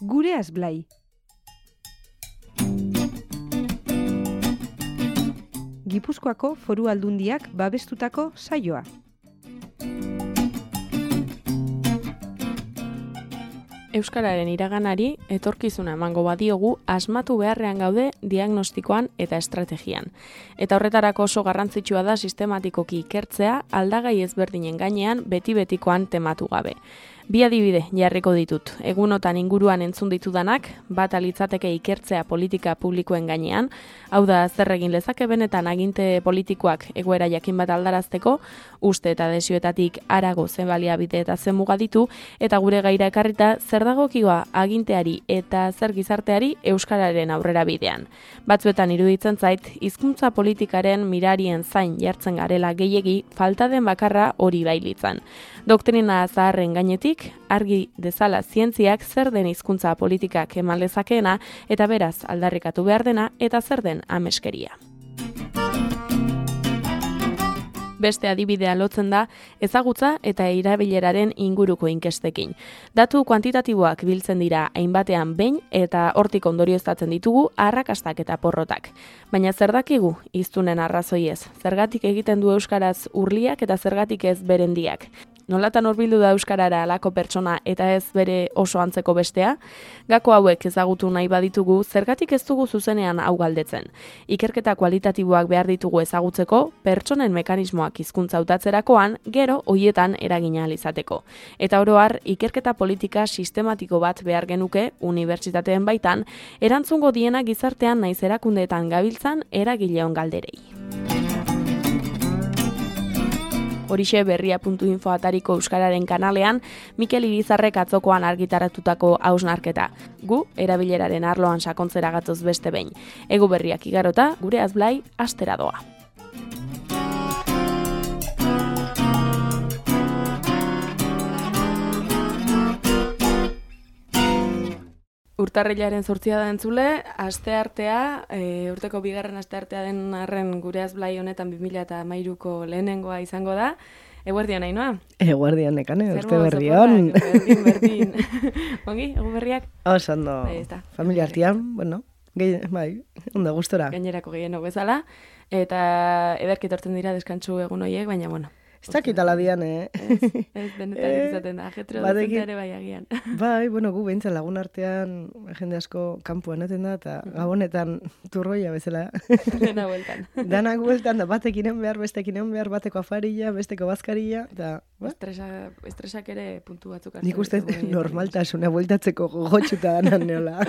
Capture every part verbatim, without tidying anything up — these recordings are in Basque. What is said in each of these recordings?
Gureaz Blai. Gipuzkoako Foru Aldundiak babestutako saioa. Euskararen iraganari etorkizuna emango badiogu asmatu beharrean gaude diagnostikoan eta estrategian. Eta horretarako oso garrantzitsua da sistematikoki ikertzea aldagai ezberdinen gainean beti-betikoan tematu gabe. Bi adibide jarriko ditut. Egunotan inguruan entzun ditudanak, bat alitzateke ikertzea politika publikoen gainean, hau da zer egin lezake benetan aginte politikoak egoera jakin bat aldarazteko, uste eta desioetatik harago zen baliabide eta zen muga ditu, eta gure gaira ekarrita zer dagokioa aginteari eta zer gizarteari euskararen aurrera bidean. Batzuetan iruditzen zait, hizkuntza politikaren mirarien zain jartzen garela gehiegi falta den bakarra hori bailitzan. Doktrina zaharren gainetik, argi dezala zientziak zer den hizkuntza politikak eman lezakeena eta beraz aldarrikatu behar dena eta zer den ameskeria. Beste adibidea lotzen da ezagutza eta erabileraren inguruko inkestekin. Datu kuantitatiboak biltzen dira hainbatean behin eta hortik ondorioztatzen ditugu arrakastak eta porrotak. Baina zer dakigu hiztunen arrazoiez? Zergatik egiten du euskaraz urliak eta zergatik ez berendiak? Nolatan hurbildu da euskarara halako pertsona eta ez bere oso antzeko bestea? Gako hauek ezagutu nahi baditugu, zergatik ez dugu zuzenean hau galdetzen. Ikerketa kualitatiboak behar ditugu ezagutzeko, pertsonen mekanismoak hizkuntza hautatzerakoan, gero hoietan eragina ahal izateko. Eta oro har, ikerketa politika sistematiko bat behar genuke unibertsitateen baitan, erantzungo diena gizartean naiz erakundeetan gabiltzan eragileon galderei. Horixe berria puntu info atariko euskararen kanalean, Mikel Irizarrek atzokoan argitaratutako hausnarketa. Gu, erabileraren arloan sakontzera gatoz beste behin. Egu berriak igarota, Gureaz Blai, astera doa. Urtarrilaren zortzia da entzule, asteartea, e, urteko bigarren asteartea den arren Gureaz Blai honetan bi mila hamairuko lehenengoa izango da. Eguerdion, Ainhoa? Eguerdion, nekane, urte berrion. Berdin, berdin. Ongi, egu berriak? Oso, ondo, familia artean, bueno, gehi, bai, ondo gustora. Gainerako gehieno bezala, eta ederki etortzen dira deskantsu egun horiek, baina, bueno. Ez dakit aladian, eh? Ez, ez benetan izaten da, ajetro dut ere bai agian. Bai, bueno, gu behintzen lagun artean jende asko kanpoan eten da, eta gabonetan turroia bezala. Dena bueltan. Danak bueltan, da batek inen behar, bestek inen behar, bateko afarilla, besteko bazkarilla, eta... Estresa, estresak ere puntu batzuk hartzen. Nik uste normaltasuna bueltatzeko gogotxuta danan neola.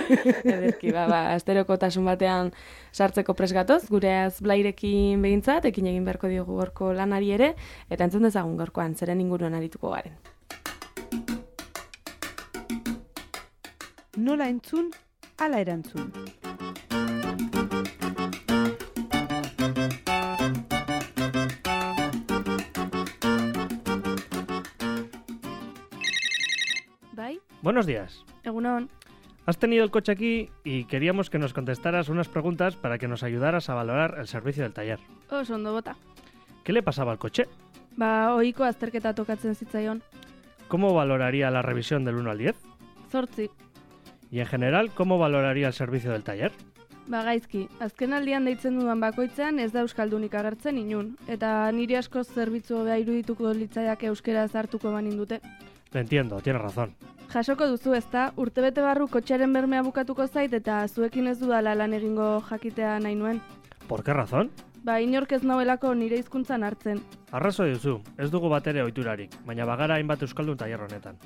Ederki, ba, ba, asterokotasun batean sartzeko presgatoz, Gureaz Blairekin behintzat, ekin egin beharko diogu gorko lanari ere, eta entzun dezagun gorkoan, zeren inguruan arituko garen. Nola entzun, ala erantzun. ¿Bai? Buenos días. Egunon. Has tenido el coche aquí y queríamos que nos contestaras unas preguntas para que nos ayudaras a valorar el servicio del taller. Oso ondo bota. ¿Qué le pasaba al coche? Ba, ohiko azterketa tokatzen zitzaion. ¿Cómo valoraría la revisión del uno al diez? Zortzi. Y en general, ¿cómo valoraría el servicio del taller? Ba, gaizki, azken aldian deitzen dudan bakoitzean ez da euskaldunik agertzen inun, eta niri asko zerbitzu hobea irudituko litzaiak euskaraz hartuko banin dute. Lo entiendo, tienes razón. Jasoko duzu ezta, urtebete barru kotxearen bermea bukatuko zait eta zuekin ez dudala lan egingo jakitea nahi nuen. ¿Por qué razón? Ba, inork ez nauelako nire hizkuntzan hartzen. Arrazoi duzu, ez dugu batere ohiturarik, baina bagara hainbat euskaldun tailer honetan.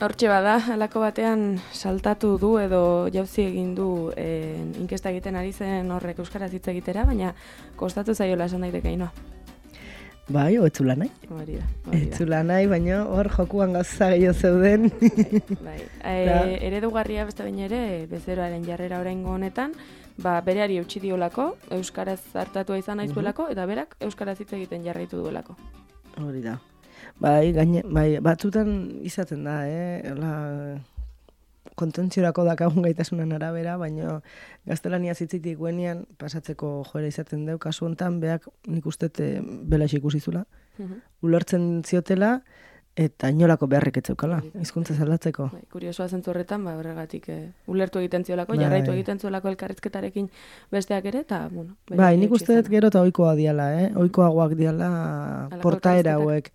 Hortxe bada, halako batean saltatu du edo jauzi egin du e, inkesta egiten ari zen horrek euskaraz hitz egitera, baina kostatu zaiola esan daiteke Ainhoa. Bai, o etzula nahi. Hori da, hori da. Etzula nahi, baina hor jokuan gauza gehiago zeuden. Bai, bai. E, eredugarria beste baina ere, bezeroaren jarrera oraingo honetan, ba, bereari eutsi diolako, euskaraz hartatua izan naizuelako, eta berak euskaraz hitz egiten jarraitu duelako. Hori da. Bai, gaine, bai, batzutan izaten da, eh? La, kontentziorako dakagun gaitasunan arabera, baina gaztelania zitzitik guenean pasatzeko joera izaten deu, kasu hontan, beak nik uste belaix ikusi zula. Mhm. Ulertzen ziotela, eta inolako beharrik etzeukala, hizkuntza aldatzeko. Bai, kuriosoa zentzu horretan, ba, horregatik eh, ulertu egiten ziolako, Bai. jarraitu egiten zuelako elkarrizketarekin besteak ere, eta, bueno. bere Bai, nik etxe uste dut izana. gero eta ohikoa diala, eh? Ohikoagoak diala portaera hauek.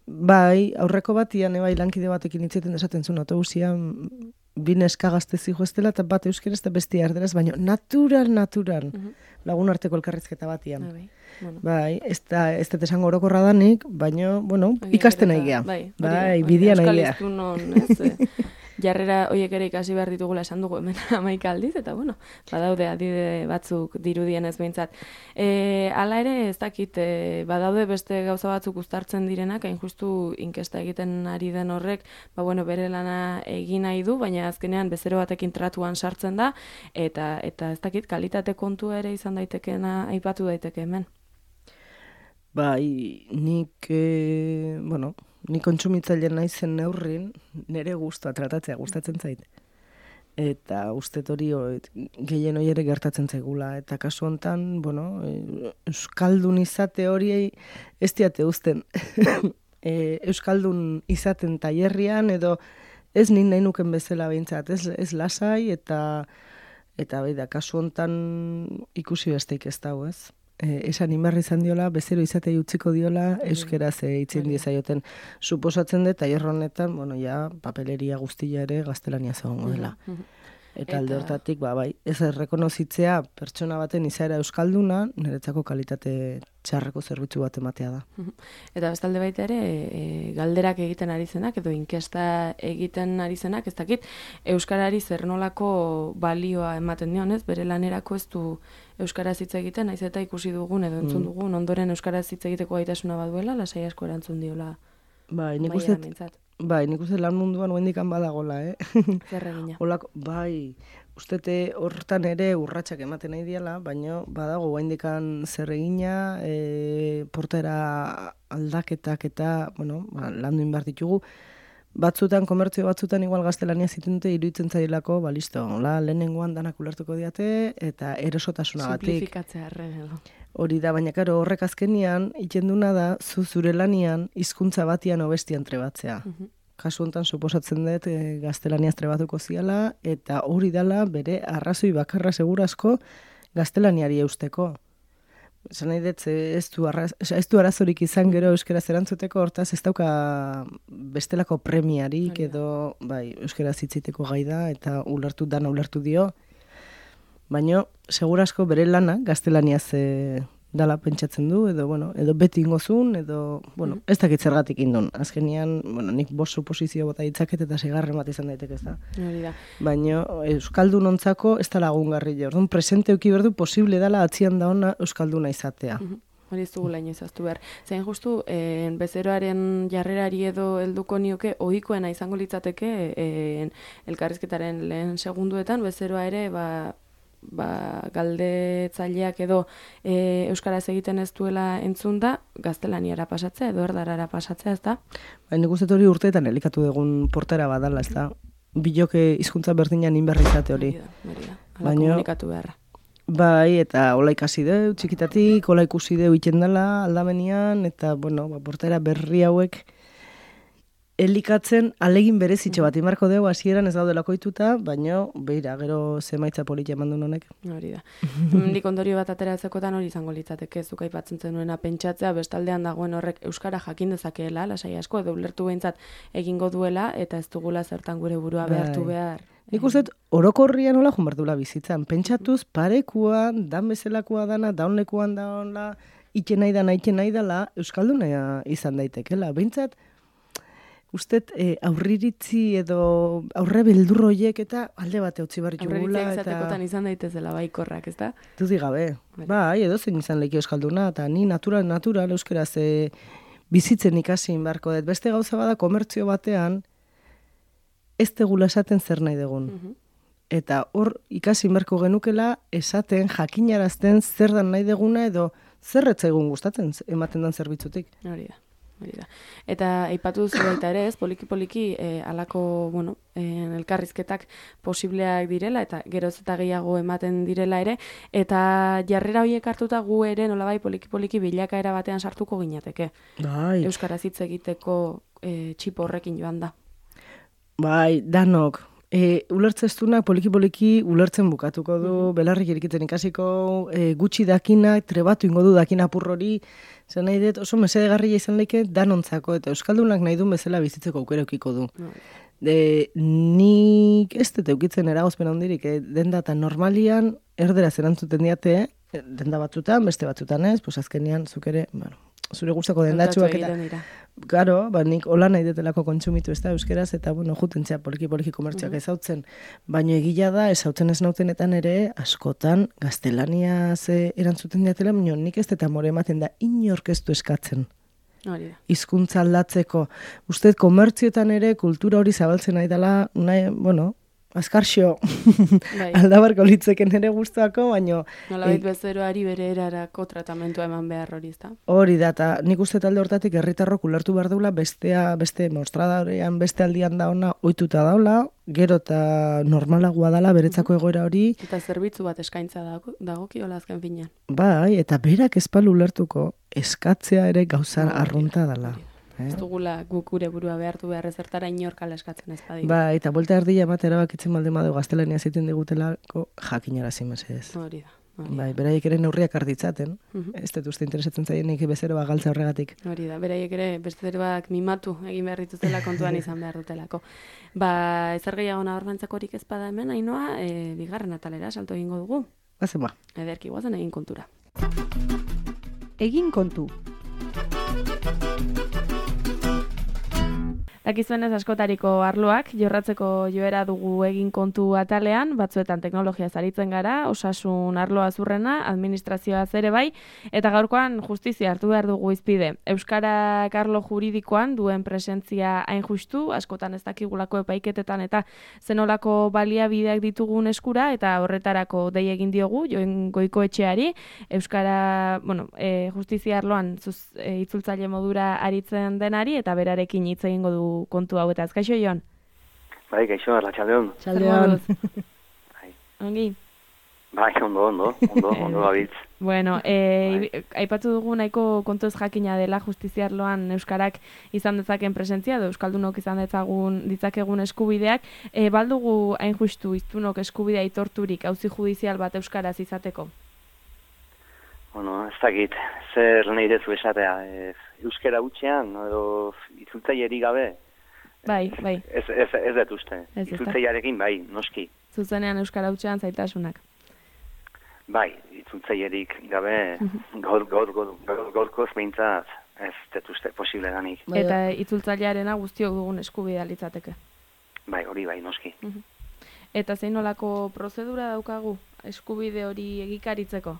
Bai, aurreko batian, bai, lankide batekin hitzeten esaten zuen autobusian, bi neska gazte zihoaztela, eta bat euskeraz eta bestia erderaz, baina natural, natural, Mhm. lagun arteko elkarrizketa batian. Ah, bai, bueno. Bai, ez da, ez dut esango orokorra danik, baina, bueno, Agian ikasten gero nahi eta- gea. Bai, hori da, Bai, hori da, bidian nahi Euskal gea. hiztunon, ez? eh, jarrera horiek ere ikasi behar ditugula esan dugu hemen hamaika aldiz, eta bueno, badaude adide batzuk dirudien ez behintzat. E, hala ere, ez dakit, e, badaude beste gauza batzuk uztartzen direnak, hain justu inkesta egiten ari den horrek, ba bueno, bere lana egin nahi du, baina azkenean bezero batekin tratuan sartzen da, eta eta ez dakit, kalitate kontua ere izan daitekeena aipatu daiteke hemen. Bai, nik, e, bueno, nik kontsumitzaile naizen neurrin, nire guztua tratatzea gustatzen zait. Eta ustet hori hori, gehien hori ere gertatzen zaigula. Eta kasu hontan, bueno, e, euskaldun izate hori ez diate uzten. e, euskaldun izaten tailerrian edo ez nin nahi nuken bezala behintzat, ez, ez lasai eta eta bai da, kasu hontan ikusi besteik ez dago, ez? E, esan inbarri izan diola, bezero izatei utziko diola, euskeraz e, itzen diezaioten. Suposatzen dut, tailer honetan, bueno, ja, papeleria guztia ere gaztelania zegoen dela. Mhm. Eta alde Eta- hortatik, ba, bai, ez errekonozitzea pertsona baten izaera euskalduna, niretzako kalitate txarreko zerbitzu bat ematea da. Eta bestalde baita ere, e, galderak egiten ari zenak, edo inkesta egiten ari zenak, ez dakit, euskarari zer nolako balioa ematen dion, ez? Bere lanerako ez du euskaraz hitz egiten, naiz eta ikusi dugun edo entzun Mm. dugun, ondoren euskaraz hitz egiteko gaitasuna baduela, lasai asko erantzun diola. Bai, nik amaieran uste, behintzat. bai, nik uste lan munduan huendikan badagola, eh? Zer egina. Olako, bai, ustete hortan ere urratsak ematen nahi diala, baina badago guaindikan zer egina, e, portera aldaketak eta, bueno, ba, landu inbar ditugu. Batzutan, komertzio batzutan igual gaztelania zitute iruditzen zailako, ba, listo, hola, lehenengoan danak ulertuko diate, eta erosotasunagatik. Simplifikatzea arren edo. Hori da, baina karo, horrek azkenian, itxenduna da, zu zure lanian, hizkuntza batian obestian trebatzea. Mhm. Kasu honetan suposatzen dut e, gaztelaniaz trebatuko ziala, eta hori dala bere arrazoi bakarra segurazko gaztelaniari eusteko. Esan nahi dut, ez du, arraz, ez du arazorik izan gero euskaraz erantzuteko, hortaz ez dauka bestelako premiarik Hori da. edo bai, euskaraz hitziteko gai da, eta ulertu dana ulertu dio. Baina, segurazko bere lana gaztelaniaz e, dala pentsatzen du, edo, bueno, edo beti ingozun, edo, bueno, ez dakit zergatik indun. Azkenian, bueno, nik bost suposizio bota ditzaket eta segarren bat izan daiteke ez da. Hori da. Baina euskaldun ontzako ez da lagungarri jo. Orduan, presente euki berdu posible dala atzian da ona euskalduna izatea. Mhm. Hori ez dugu laino izaztu behar. Zein justu, eh, bezeroaren jarrerari edo helduko nioke, ohikoena izango litzateke, eh, elkarrizketaren lehen segunduetan, bezeroa ere, ba, ba, galdetzaileak edo e, euskaraz egiten ez duela entzun da, gaztelaniara pasatzea edo erdarara pasatzea, ez da? Baina nik uste dut hori urteetan elikatu dugun portera badala, ez da? Biloke hizkuntza berdinan inberri izate hori. Hori da, hori da. Hala Baina- komunikatu beharra. Bai, eta hola ikasi deu, txikitatik, hola ikusi deu iten dela aldamenian, eta, bueno, ba, portera berri hauek elikatzen alegin berezitxo bat imarko deu, hasieran ez daudelako ituta, baina, beira, gero zemaitza politia eman duen honek. Hori da. Hemendik ondorio bat ateratzekotan hori izango litzateke, zuk aipatzen zenuena pentsatzea, bestaldean dagoen horrek euskara jakin dezakeela, lasai asko, edo ulertu behintzat egingo duela, eta ez dugula zertan gure burua Bai. behartu behar. Nik uste dut, orokorrian nola jumardula bizitzan. Pentsatuz, parekuan, dan bezalakoa dana, daunlekuan daunla, iten nahi dana, iten nahi dala, euskalduna izan daitekela. Behintzat, ustet, e, aurriritzi edo aurre beldurroiek eta alde bate utzi barri Aurreritzea jugula. izatekotan Eta izan daitezela baikorrak, ez da? dudik gabe. Bai. Bai, edo zein izan leki euskalduna, eta ni natural, natural euskaraz e, bizitzen ikasi barko dut. Beste gauza bada komertzio batean, ez tegula esaten zer nahi dugun. Mhm. Eta hor ikasi berko genukela esaten, jakinarazten zer dan nahi deguna edo zer etzaigun gustatzen ematen dan zerbitzutik. Hori da. Eta aipatu duzu baita ere, ez, poliki-poliki eh, alako, bueno, eh, elkarrizketak posibleak direla, eta geroz eta gehiago ematen direla ere, eta jarrera horiek hartuta gu ere nolabai poliki-poliki bilakaera batean sartuko ginateke. Bai. Euskaraz hitz egiteko eh, txipo horrekin joan da. Bai, danok. E, ulertzestunak poliki-poliki ulertzen bukatuko du, mm-hmm. belarrik erikiten ikasiko, e, gutxi dakinak, trebatu ingo du dakin apurrori, zen nahi dut oso mesedegarria izan leke danontzako, eta euskaldunak nahi duen bezala bizitzeko aukera eukiko du. Mm. De, nik ez dut eukitzen eragozpen handirik, eh? Denda eta normalian erderaz erantzuten diate, eh? Denda batzutan, beste batzutan ez, pues azkenean zuk ere, bueno, zure gustako dendatxuak eta... Garo, ba, nik hola nahi detelako kontsumitu ez da euskeraz, eta bueno, jutentzea poliki-poliki komertziak mm-hmm. ezautzen. Baina egia da, ezautzen ez nautenetan ere, askotan, gaztelania ze erantzuten diatela, baina nik ez eta more ematen da, inork ez du eskatzen. Hori da. Hizkuntza aldatzeko. Uste, komertzioetan ere, kultura hori zabaltzen nahi dela, nahi, bueno, azkarxo, bai. Aldabarko litzeken ere guztuako, baina... Nolabait e, bezeroari bere erarako tratamentua eman behar hori, ez da? Hori da, eta nik uste talde hortatik herritarrok ulertu behar daula, bestea, beste mostradarean, beste aldian da ona, ohituta daula, gero eta normalagoa dala beretzako egoera hori. Eta zerbitzu bat eskaintza dago, dagokiola azken finean. Bai, eta berak ezpalu ulertuko, eskatzea ere gauza no, arrunta dala. Eh? Ez dugula guk gure burua behartu behar ezertara inorkala eskatzen ez badi. Ba, eta bolta erdia ematera erabakitzen balde madu gaztelania ziten digutelako jakinara zimesedez. Hori da. Hori. Bai, beraiek ere neurriak arditzaten. Uh-huh. Ez dut uste interesatzen zaienik bezeroa galtza horregatik. Hori da, beraiek ere bezeroak mimatu egin behar dituzela kontuan izan behar dutelako. Ba, ezer gehiago nabarmentzakorik ez bada hemen, Ainoa, e, bigarren atalera salto egingo dugu. Bazen ba. Ederki guazen egin kontura. Egin kontu. Dakizuenez askotariko arloak, jorratzeko joera dugu egin kontu atalean, batzuetan teknologia zaritzen gara, osasun arloa zurrena, administrazioa ere bai, eta gaurkoan justizia hartu behar dugu izpide. Euskarak arlo juridikoan duen presentzia hain justu, askotan ez dakigulako epaiketetan eta zenolako baliabideak ditugun eskura, eta horretarako dei egin diogu, Joen Goikoetxeari, Euskara, bueno, e, justizia arloan zuz, e, itzultzaile modura aritzen denari, eta berarekin hitz egingo du kontu hau eta azkaixo joan? Bai, gaixo, arratsaldeon. Txaldeon. Ongi? Bai, ondo, ondo, ondo, ondo gabitz. Bueno, e, bai. Aipatu dugu nahiko kontu ez jakina dela justiziarloan Euskarak izan dezaken presentzia, edo Euskaldunok izan dezagun ditzakegun eskubideak, e, baldugu hain justu iztunok eskubidea aitorturik auzi judizial bat Euskaraz izateko? Bueno, ez dakit, zer nahi dezu esatea, e, euskara hutsean, edo itzultzailerik gabe, bai, bai. Ez, ez, ez dut uste, itzultzailearekin bai, noski. Zuzenean euskara hutsean zaitasunak. Bai, itzultzailerik gabe, gaur, gaur, gaur, gaur, gaurkoz behintzat, ez dut uste, posible danik. Eta itzultzailearena guztiok dugun eskubidea litzateke. Bai, hori bai, noski. Eta zein nolako prozedura daukagu eskubide hori egikaritzeko?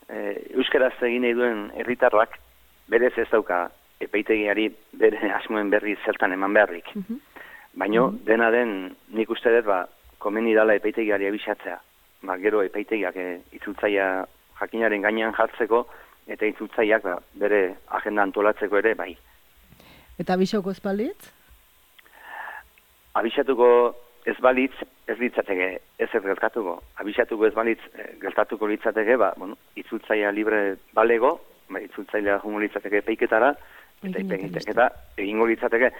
Euskaraz egin nahi duen herritarrak berez ez dauka epaitegiari bere asmoen berri zertan eman beharrik. Uh-huh. Baina uh-huh. dena den nik uste dut ba, komeni dala epaitegiari abisatzea. Ba, gero epaitegiak e, itzultzaia jakinaren gainean jartzeko eta itzultzaiak ba, bere agenda antolatzeko ere bai. Eta abisauko ez balitz? Abisatuko ez balitz, ez litzateke, ez ez gertatuko. Abisatuko ez balitz, gertatuko litzateke, ba, bueno, itzultzaia libre balego, ba, itzultzailea jungo litzateke epeiketara, eta epeiketa egingo litzateke,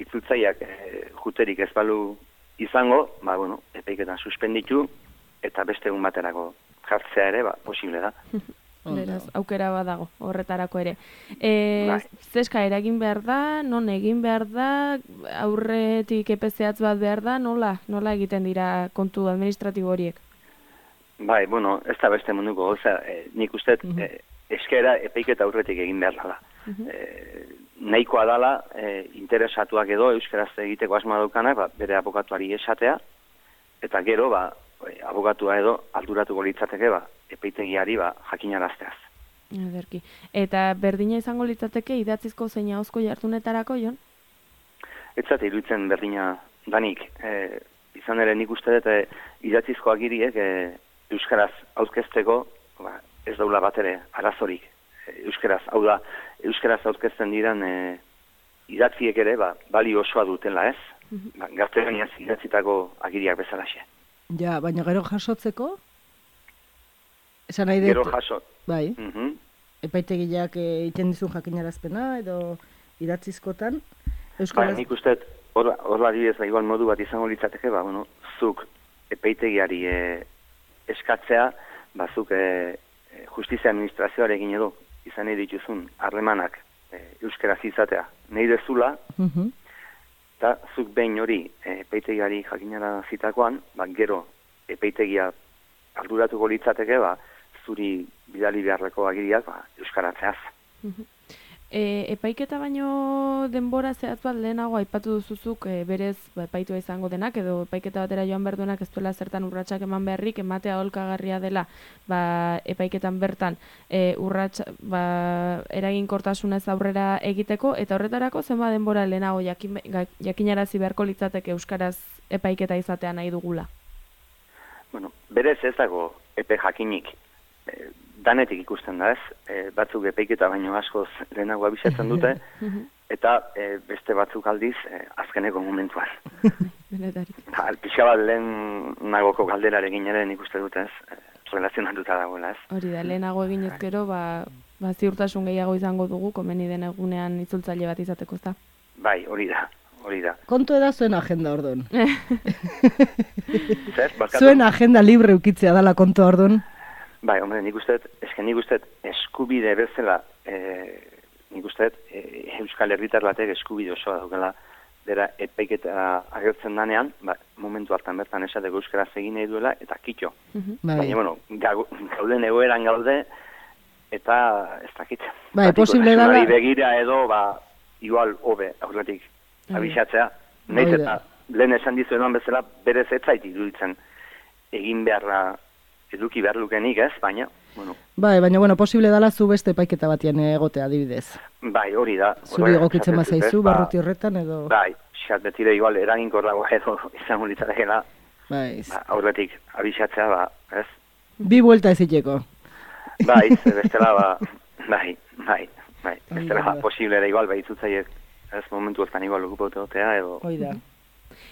itzultzaiak e, juterik ez balu izango, ba, bueno, epeiketan suspenditu, eta beste egun baterako jartzea ere, ba, posible da. Beraz, aukera badago, horretarako ere. E, zeska eragin behar da, non egin behar da, aurretik epezeatz bat behar da, nola? Nola egiten dira kontu administratibo horiek? Bai, bueno, ez da beste munduko, oza, e, nik uste, uh-huh. e, eskera epeiketa aurretik egin behar dela. Uh-huh. E, nahikoa dala, e, interesatuak edo, euskaraz egiteko asma daukanak, ba, bere abokatuari esatea, eta gero, ba, abogatua edo alduratuko litzateke ba, epeitegiari ba, jakinarazteaz. Ederki. Eta berdina izango litzateke idatzizko zein ahozko jartunetarako, Jon? Etzat iruditzen berdina danik. E, izan ere nik uste dut e, idatzizko agiriek e, euskaraz aurkezteko ba, ez daula bat ere arazorik. euskaraz, hau da, euskaraz aurkezten diran e, idatziek ere, ba, bali osoa dutela, ez? Ba, gaztelaniaz idatzitako agiriak bezalaxe. Ja, baina gero jasotzeko? Esan nahi dut... Gero jaso. Bai. Mhm. Epaitegiak egiten dizun jakinarazpena edo idatzizkotan? Ba, Euskaraz... nik uste, hor adibidez, ba, igual modu bat izango litzateke, ba, bueno, zuk epaitegiari e, eskatzea, ba, zuk e, justizia administrazioarekin edo, izan nahi dituzun harremanak e, euskaraz izatea nahi dezula, Mhm. eta zuk behin hori e, epaitegiari jakinara zitakoan, ba, gero epaitegia arduratuko litzateke, ba, zuri bidali beharreko agiriak, ba, euskaratzeaz. E, epaiketa baino denbora zehatz bat lehenago aipatu duzuzuk e, berez ba, epaitua izango denak edo epaiketa batera joan behar duenak ez duela zertan urratsak eman beharrik ematea aholkagarria dela ba, epaiketan bertan e, urrats, ba, eraginkortasunez aurrera egiteko eta horretarako zenba denbora lehenago jakin, jakinarazi beharko litzateke euskaraz epaiketa izatea nahi dugula? Bueno, berez ez dago epe jakinik. E, danetik ikusten da ez, e, batzuk epaiketa baino askoz lehenago abisatzen dute, eta e, beste batzuk aldiz e, azkeneko momentuan. Ba, pixka bat lehen nagoko galderarekin ere nik uste dute ez, e, relazionatuta dagoela ez. Hori da, lehenago egin ezkero, ba, ba ziurtasun gehiago izango dugu, komeni den egunean itzultzaile bat izateko, ezta? Bai, hori da, hori da. Kontu eda zuen agenda ordun. Zer, barkatu? Zuen agenda libre ukitzea dala kontu ordun. Bai, hombre, nik uste, eske nik uste eskubide bezala, e, nik uste e, Euskal Herritar batek eskubide osoa daukela, bera epaiketa agertzen danean, ba, momentu hartan bertan esateko euskaraz egin nahi duela, eta kitxo. Bai. Baina, bueno, gauden egoeran gaude, eta ez dakit. Bai, posible dala... begira edo, ba, igual hobe aurretik abisatzea. Naiz eta lehen esan dizuetan bezala, berez ez zait iruditzen egin beharra eduki behar lukenik ez, baina, bueno. Bai, baina, bueno, posible dala zu beste epaiketa batian egotea, adibidez. Bai, hori da. Zuri egokitzen bazaizu, barruti horretan edo... Bai, xat betire igual eraginkorrago edo izango litzatekela. Bai. Ba, aurretik abisatzea, ba, ez? Bi buelta eziteko. Bai, ze bestela, ba, bai, bai, bai. Bestela, ba, posible ere igual, bai, itzutzaiek, ez momentu ezkan igual okupoteotea edo... Hoi da.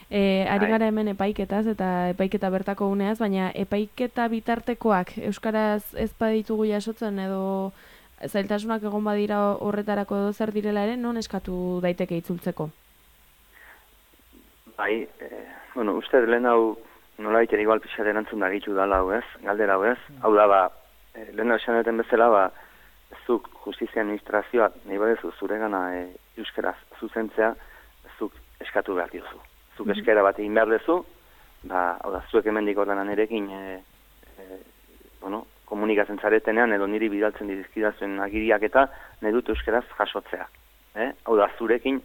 E, ari gara hemen epaiketaz eta epaiketa bertako uneaz, baina epaiketa bitartekoak euskaraz ez baditugu jasotzen edo zailtasunak egon badira horretarako edo zer direla ere, non eskatu daiteke itzultzeko? Bai, e, bueno, uste lehen hau nola baita igual pixat erantzun da gitu dala hau ez, galdera hau ez, hau da ba, e, lehen hau esan duten bezala, ba, zuk justizia administrazioa nahi badezu zuregana e, euskaraz zuzentzea, zuk eskatu behar diozu. Zuk eskera bat egin behar dezu, ba, hau da, zuek hemendik ordenan erekin, e, e, bueno, komunikatzen zaretenean, edo niri bidaltzen dizkidazuen agiriak eta nahi dut euskeraz jasotzea. Eh? Hau da, zurekin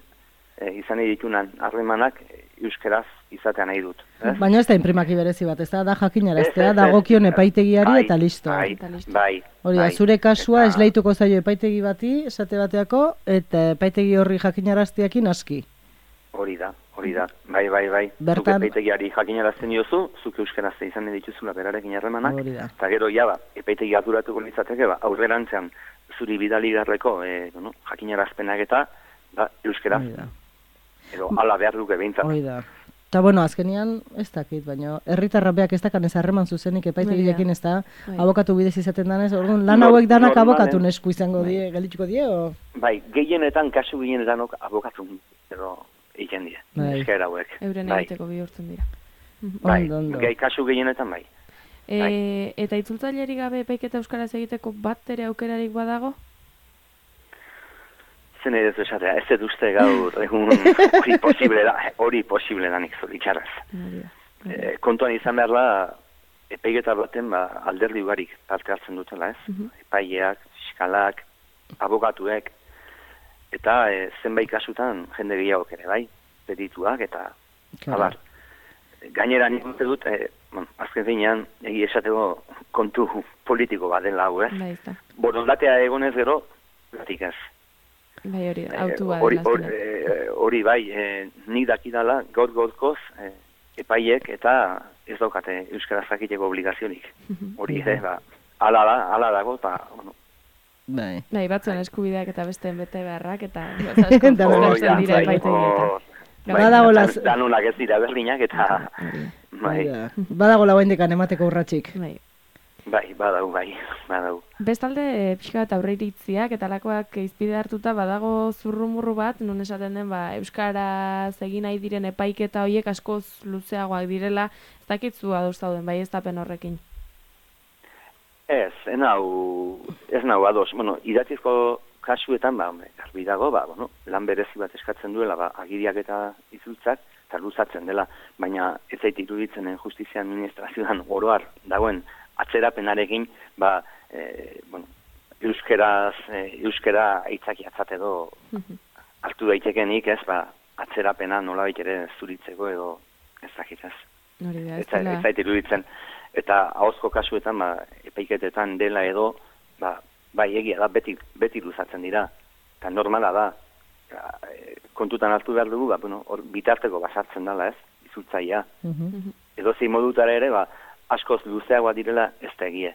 e, izan nahi ditunan harremanak euskeraz izatea nahi dut. Eh? Baina ez da imprimaki berezi bat, ez da, da jakinaraztea, dagokion epaitegiari bai, eta listo. Bai, bai. Hori da, bai, zure kasua eta... esleituko zaio epaitegi bati, esate bateako, eta epaitegi horri jakinarazteakin aski. Hori da, hori da, bai, bai, bai. Bertan... Zuk epaitegiari jakinarazten diozu, zuk euskarazte izan nahi dituzula berarekin harremanak, Hori da. eta gero, ja, ba, epaitegi arduratuko litzateke, ba, aurrerantzean zuri bidali garreko, e, bueno, jakinarazpenak eta, ba, euskaraz, Hori da. edo ala behar duke behintzat. Hori da. Eta, bueno, azkenian, ez dakit, baina herritarrak beak ez dakan ez harreman zuzenik epaitegilekin ez da, abokatu bidez izaten danez, orduan, lan hauek danak abokatu nesku izango die, geldituko die, o? Bai, gehienetan, kasu gehienetan abokatu, edo egiten die, eskaera hauek. Euren bai. egiteko bihurtzen dira. Bai, Ondo, ondo. gai kasu gehienetan bai. E, Bai. eta itzultzailerik gabe epaiketa euskaraz egiteko bat ere aukerarik badago? Zen edo esatea, ez dut uste gaur egun hori posible da, hori posible da nik zoritxarraz. E, kontuan izan behar da, epaiketa baten ba, alderdi ugarik parte hartzen dutela, ez? Mhm. Epaileak, fiskalak, abokatuek, eta e, zenbait kasutan jende gehiago ere, bai? Perituak eta Claro. abar. Gainera nik uste dut, e, bueno, azken finean, egi esateko kontu politiko bat dela hau, ez? Bai, ez da. Borondatea egonez gero, gatik ez. Bai, hori da, Eh, autu bat hori, dela hori, azkenean. eh, hori bai, eh, nik dakidala gaur gaurkoz eh, epaiek eta ez daukate euskaraz jakiteko obligazionik. Hori ere, ba, ala da, ala dago, eta, bueno, Bai. Bai, batzuen eskubideak eta besteen bete beharrak, eta Eta Oh, asko ja, dira bai, epaitegietan. oh, Bai, badago las- dan- danunak ez dira berdinak, eta bai, Badago lauendekan emateko urratxik. Bai. bai, badau, bai, badau. Bestalde, e, pixka bat aurreiritziak eta lakoak izpide hartuta badago zurrumurru bat, non esaten den, ba, euskaraz egin nahi diren epaiketa horiek askoz luzeagoak direla, ez dakitzu ados zauden, bai ez tapen horrekin. Ez, ez nau, ez nau ados. Bueno, idatzizko kasuetan, ba, hombre, garbi dago, ba, bueno, lan berezi bat eskatzen duela, ba, agiriak eta itzultzak, eta luzatzen dela, baina ez zait iruditzen justizia administrazioan oroar dagoen atzerapenarekin, ba, e, bueno, euskeraz, e, euskera aitzakiatzat edo hartu daitekenik, ez, ba, atzerapena nolabait ere zuritzeko edo ez dakit ez. Hori da, ez Ez zait- dela... ez zait iruditzen. Eta ahozko kasuetan, ba, epaiketetan dela edo, ba, bai egia da, beti, beti luzatzen dira. Eta normala da, ja, e, kontutan hartu behar dugu, ba, bueno, hor bitarteko basartzen dela, ez, izultzaia. Edo zein modutara ere, ba, askoz luzeagoa direla ez da egie.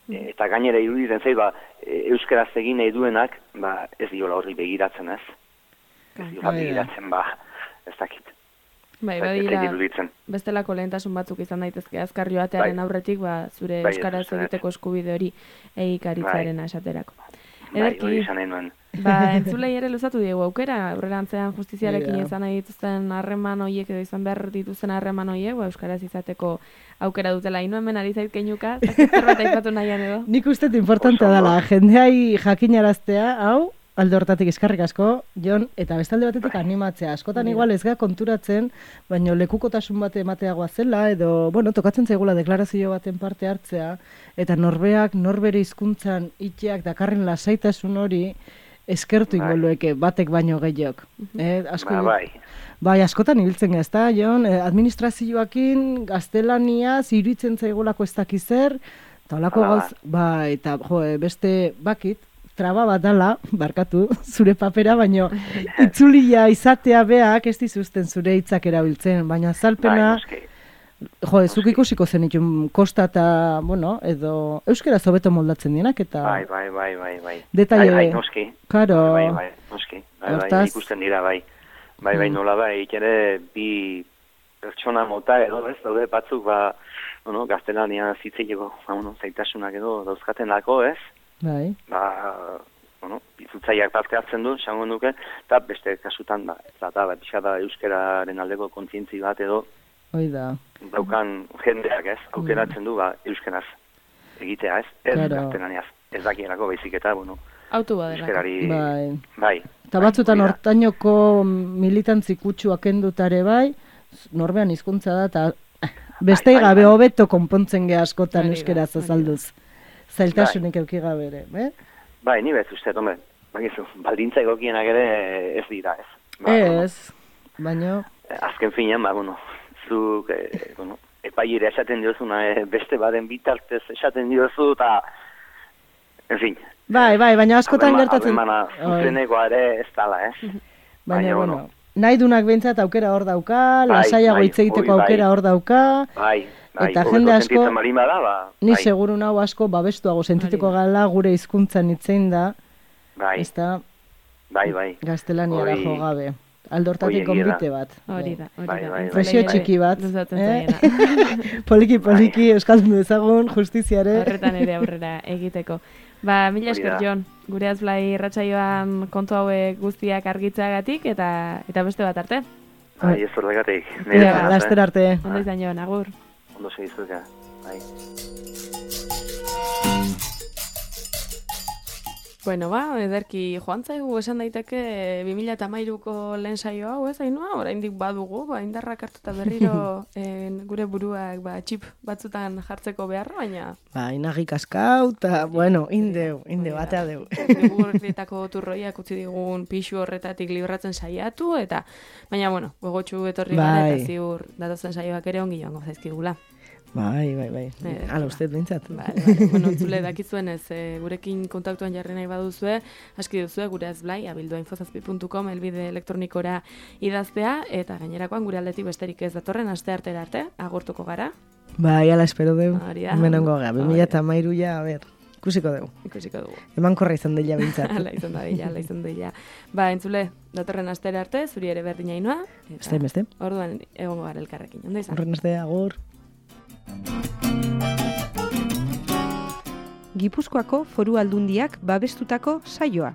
E, eta gainera iruditzen zait, ba, e, euskaraz egin nahi duenak, ba, ez diola horri begiratzen, ez. Ez diola Bai da. begiratzen, ba, ez dakit. Bai, Ez zait badira, iruditzen. bestelako lehentasun batzuk izan daitezke azkar joatearen Bai. aurretik, ba, zure Bai, euskaraz ez, ez. egiteko eskubide hori egikaritzaren esaterako. Bai, Ederki, hori esan nahi nuen. ba, entzulei ere luzatu diegu aukera, aurrerantzean justiziarekin Bai da. izan nahi dituzten harreman horiek edo izan behar dituzten harreman horiek, ba, euskaraz izateko aukera dutela. Ino hemen ari zait keinuka, zakit zerbait aipatu nahian edo. Nik uste dut importantea Oso ondo. dela, jendeai jakinaraztea, hau, alde hortatik eskarrik asko, Jon, eta bestalde batetik animatzea. Askotan Hori da. igual ez ga konturatzen, baino lekukotasun bate emateagoa zela, edo, bueno, tokatzen zaigula deklarazio baten parte hartzea, eta norbeak, norbere hizkuntzan itxeak dakarren lasaitasun hori, eskertu Bai. ingolueke batek baino gehiok. Eh, asko, Ba, bai. Bai, askotan ibiltzen ez da, Jon, eh, administrazioakin gaztelaniaz iruditzen zaigulako ez dakiz zer, eta holako Hala da. gauz, bai, eta jo, eh, beste bakit, traba bat dala, barkatu, zure papera, baino itzulia izatea beak ez dizuzten zure hitzak erabiltzen, baina Bai, azalpena, noski. jo, ez zuk ikusiko zenitun kosta eta, bueno, edo euskera hobeto moldatzen dienak, eta Bai, bai, bai, bai, bai. Detaile- Bai, bai, noski. Karo. Bai, bai, noski. Bai, bai, Hortaz- ikusten dira, bai. Bai, bai, Mm. nola bai, ere bi pertsona mota edo, ez, daude batzuk, ba, bueno, gaztelania zitzileko, ba, bueno, zaitasunak edo dauzkatenako, ez? bai, Ba, bueno, itzultzaileak parte hartzen du, esango nuke, eta beste kasutan, ba, ez da, ba, pixka da euskararen aldeko kontzientzi bat edo, hoi da. daukan jendeak, ez, aukeratzen du, ba, euskaraz egitea, ez, ez Claro. gaztelaniaz, ez dakienako baizik eta, bueno, Autu badelako. euskarari, Bai. bai. Eta bai, batzutan hori da. hortainoko militantzi kutsuak endutare bai, norbean hizkuntza da, eta bestei bai, gabe bai. hobeto konpontzen ge askotan Hori da, euskeraz hori da. azalduz. Zailtasunik euki gabe ere, eh? Bai, ni bez uste, hombre, bakizu, baldintza egokienak ere ez dira, ez. Ba, bueno, Ez, baino, azken finean, ba, bueno, zuk, eh, bueno, epaiera esaten diozuna, eh, beste baden bitartez esaten diozu, eta, en fin. bai, bai, baina askotan harrema- gertatzen... harremana Oi, zuzenekoa ere ez dala, ez. baina, baina, bueno, bueno. nahi dunak behintzat aukera hor dauka, Bai, lasaiago bai, hitz egiteko hori bai. aukera hor dauka, Bai, bai, Eta hobeto jende asko- sentitzen baldin bada, ba, ni bai, seguru nau asko babestuago sentituko Hori gala gure hizkuntzan hitzein da, bai, ez da bai, bai. gaztelaniara Hori- jo gabe. Aldortatik hori egia da. konbite bat. Hori da, hori Bai, da. bai, bai. Presio Entzulei txiki bat, luzatzen eh? zaiena. Poliki, poliki, euskaldun dezagun, justiziare. Horretan ere aurrera egiteko. Ba, mila Hori esker, da. Jon, gure azblai irratsaioan kontu hauek guztiak argitzeagatik eta eta beste bat arte. Bai, ez horregatik. Ea, laster arte. Ondo izan Jon, agur. Ondo segizuka, bai. Bueno, ba, ederki joan zaigu esan daiteke bi mila hamairuko lehen saio hau, ez Ainhoa? Oraindik badugu, ba, indarrak hartuta berriro en, gure buruak ba, txip batzutan jartzeko beharra, baina Ba, inagik askau, eta, bueno, indeu, inde batea deu. Gugurritako turroiak utzi digun pixu horretatik libratzen saiatu, eta baina, bueno, gogotxu etorri gara, Bai. eta ziur datozen saioak ere ongi joango zaizkigula. Bai, bai, bai. Eh, Hala uste bintzat. Vale, vale. Bueno, entzule dakizuen ez, e, gurekin kontaktuan jarri nahi baduzue, aski duzue gure azblai, abildua infozazpi puntu com, elbide elektronikora idaztea, eta gainerakoan gure aldetik besterik ez datorren aste artera arte, agurtuko gara. Bai, ala espero deu. Hori da. Hemen ongo gara, Hori bi mila da. hamairu ja, a ber. Ikusiko dugu. Ikusiko dugu. Emankorra izan dela bintzat. Ala izan da dela, ala izan dela. Ba, entzule, datorren astera arte, zuri ere berdina inoa. Beste, beste. Orduan egongo gara elkarrekin. Ondo izan? Horren aste, agur. Gipuzkoako Foru Aldundiak babestutako saioa.